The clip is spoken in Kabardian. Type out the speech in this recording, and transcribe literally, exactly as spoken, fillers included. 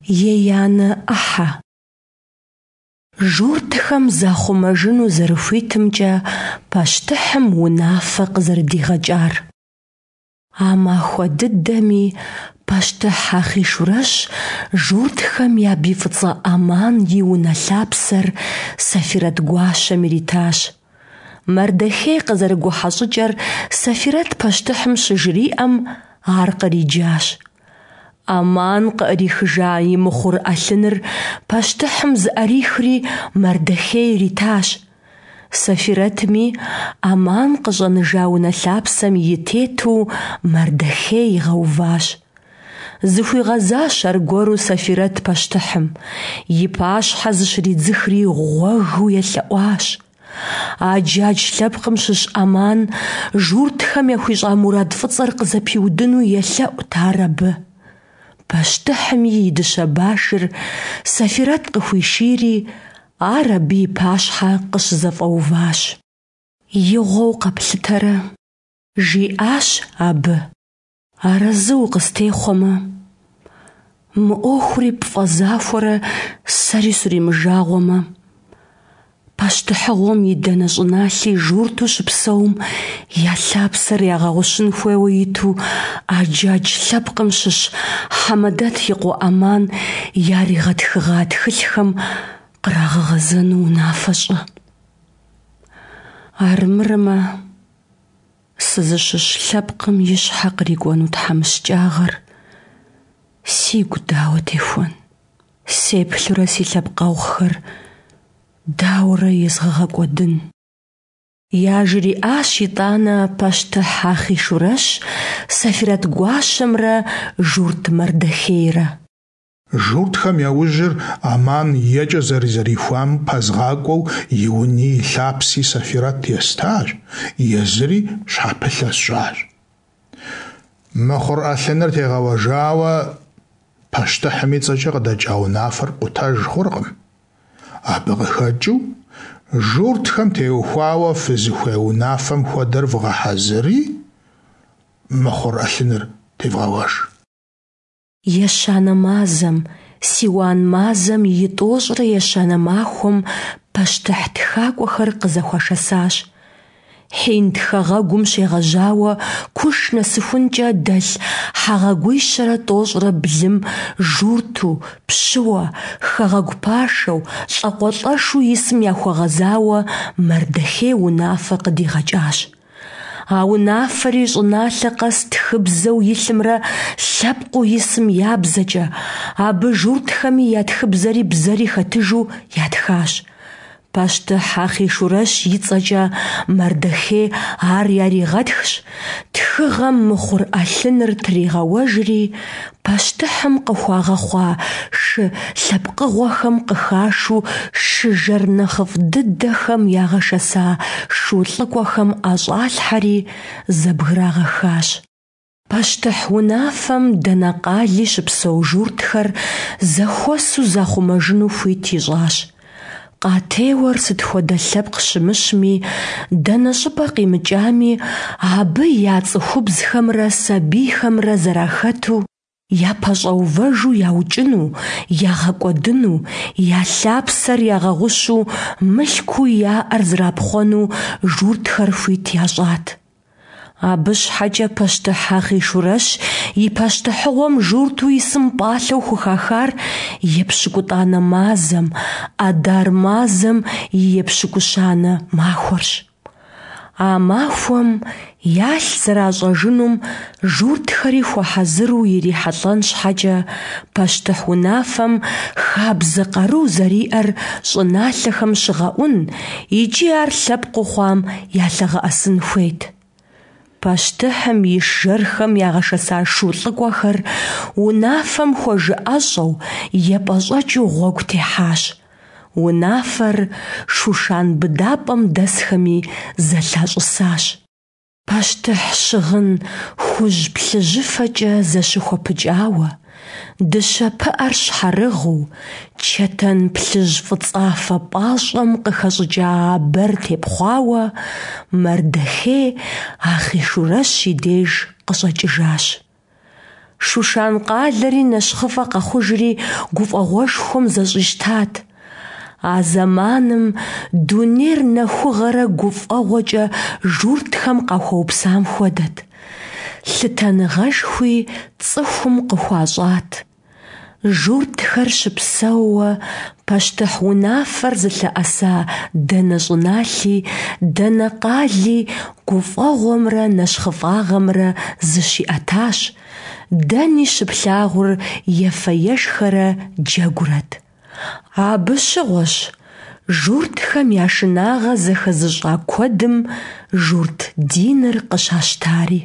Еянэ ӏыхьэ. Журтхэм захъумэжыну зэрыхуитымкӏэ пащтыхьым унафэ къызэрыдигъэкӏар. А махуэ дыдэми пащтыхь Ахъийшурэщ журтхэм я бий фӏыцӏэ Аман и унэ лъапсэр Сэфирэт гуащэм иритащ. Мардэхей къызэрыгухьэ щӏыкӏэр Сэфирэт пащтыхьым щыжриӏэм, ар къриджащ. Аман къыӏрихыжа и мыхъур ӏэлъыныр пащтыхьым зыӏэрихри Мардэхей иритащ. Сэфирэтми Аман къыщӏэныжа унэ лъапсэм и тету Мардэхей игъэуващ. Зыхуигъэзащ аргуэру Сэфирэт пащтыхьым, и пащхьэ зыщридзыхри гъуэгыу елъэӏуащ. Аджадж лъэпкъым щыщ Аман журтхэм яхуищӏа мурад фӏыцӏэр къызэпиудыну елъэӏут ар абы. Пащтыхьми и дыщэ башыр Сэфирэт къыхуишийри, ар абы и пащхьэ къыщызэфӏэуващ. Игъуэу къэплъытэрэ, жиӏащ абы, арэзы укъыстехъуэмэ, мы ӏуэхури пфӏэзахуэрэ сэри суримыжагъуэмэ, пащтыхьыгъуэм и дэнэ щӏыналъи журту щыпсэум я лъапсэр ягъэгъущын хуейуэ иту Аджадж лъэпкъым щыщ Хьэмэдэт и къуэ Аман яригъэтхыгъа тхылъхэм кърагъэгъэзэну унафэ щӏы. Армырмэ, сызыщыщ лъэпкъым и щхьэ кърикӏуэну тхьэмыщкӏагъэр сигу дауэ техуэн? Сеплъурэ си лъэпкъэгъухэр дауэрэ езгъэгъэкӏуэдын? Яжриӏащ итӏанэ пащтыхь Ахъийшурэщ Сэфирэт гуащэмрэ журт Мардэхейрэ. Журтхэм я ужьыр Аман екӏэ зэрызэрихуам пэзгъакӏуэу и уни и лъапси Сэфирэт естащ, езыри щхьэпылъэ сщӏащ. Мыхъур ӏэлъыныр тегъэуэжауэ пащтыхьым и цӏэкӏэ къыдэкӏа унафэр пкъутэж хъуркъым. Абы къыхэкӏыу журтхэм теухуауэ фызыхуей унафэм хуэдэр вгъэхьэзыри, мыхъур ӏэлъыныр тевгъэуэж. Ещанэ мазэм, Сиуан мазэм и тӏощӏрэ ещанэ махуэм пащтыхь тхакӏуэхэр къызэхуашэсащ. Хьинд хэгъэгум щегъэжьауэ Куш нэсыхункӏэ дэлъ хэгъэгуищэрэ тӏощӏрэ блым журту, пщыуэ, хэгъэгу пашэу, лӏакъуэлӏэшу исым яхуэгъэзауэ Мардэхей унафэ къыдигъэкӏащ. А унафэри щӏыналъэ къэс тхыбзэу илъымрэ лъэпкъыу исым я бзэкӏэ, абы журтхэми я тхыбзэри бзэри хэтыжу ятхащ. Пащтыхь Ахъийшурэщ и цӏэкӏэ Мардэхей ар яригъэтхщ, тхыгъэм мыхъур ӏэлъыныр тригъэуэжри, пащтыхьым къыхуагъэхъуа шы лъэпкъыгъуэхэм къыхашу шы жэр нэхъыфӏ дыдэхэм ягъэшэса шу лӏыкӏуэхэм ӏэщӏалъхьэри, зэбграгъэхащ. Пащтыхь унафэм дэнэ къали щыпсэу журтхэр зэхуэсу захъумэжыну хуит ищӏащ. Къатеуэр сыт хуэдэ лъэпкъ щымыщми, дэнэ щӏыпӏэ къимыкӏами, абы я цӏыхубзхэмрэ сабийхэмрэ зэрахэту, япэщӏэувэжу яукӏыну, ягъэкӏуэдыну, я лъапсэр ягъэгъущу мылъкуу яӏэр зэрапхъуэну журтхэр хуит ящӏат. Абы щхьэкӏэ пащтыхь Ахъийшурэщ и пащтыхьыгъуэм журту исым пӏалъэу хухахар епщыкӏутӏанэ мазэм, Адар мазэм и епщыкӏущанэ махуэрщ. А махуэм ялъ зэращӏэжынум журтхэри хуэхьэзыру ирихьэлӏэн щхьэкӏэ, пащтыхь унафэм хабзэ къару зэриӏэр щӏыналъэхэм щыгъэӏун икӏи ар лъэпкъыу хъуам ялъэгъэӏэсын хуейт. Пащтыхьым и жэрхэм ягъэшэса шу лӏыкӏуэхэр унафэм хуэжыӏэщӏэу, епӏэщӏэкӏыу гъуэгу техьащ. Унафэр Шушан быдапӏэм дэсхэми зэлъащӏысащ. Пащтыхь щыгъын хужь-плъыжьыфэкӏэ зэщыхуэпыкӏауэ, дыщэ пыӏэр щхьэрыгъыу, чэтэн плъыжь-фӏыцӏафэ пӏащӏэм къыхэщӏыкӏа абэр тепхъуауэ Мардэхей Ахъийшурэщ и деж къыщӏэкӏыжащ. Шушан къалэри нэщхъыфӀэ къэхъужри гуфӀэгъуэшхуэм зэщӀищтат. А зэманым дунейр нэхугъэрэ гуфӀэгъуэкӀэ журтхэм къахуэупсам хуэдэт. Лъытэныгъэшхуи цӀыхум къыхуащӀат. Журтхэр щыпсэууэ пащтыхь унафэр зылъэӀэса дэнэ щӀыналъи, дэнэ къали гуфӀэгъуэмрэ нэщхъыфӀагъэмрэ зыщиӀэтащ, дэни щыплъагъур ефэ-ешхэрэ джэгурэт. Абы щыгъуэщ журтхэм я шынагъэ зэхэзыщӀа куэдым журт диныр къыщащтари.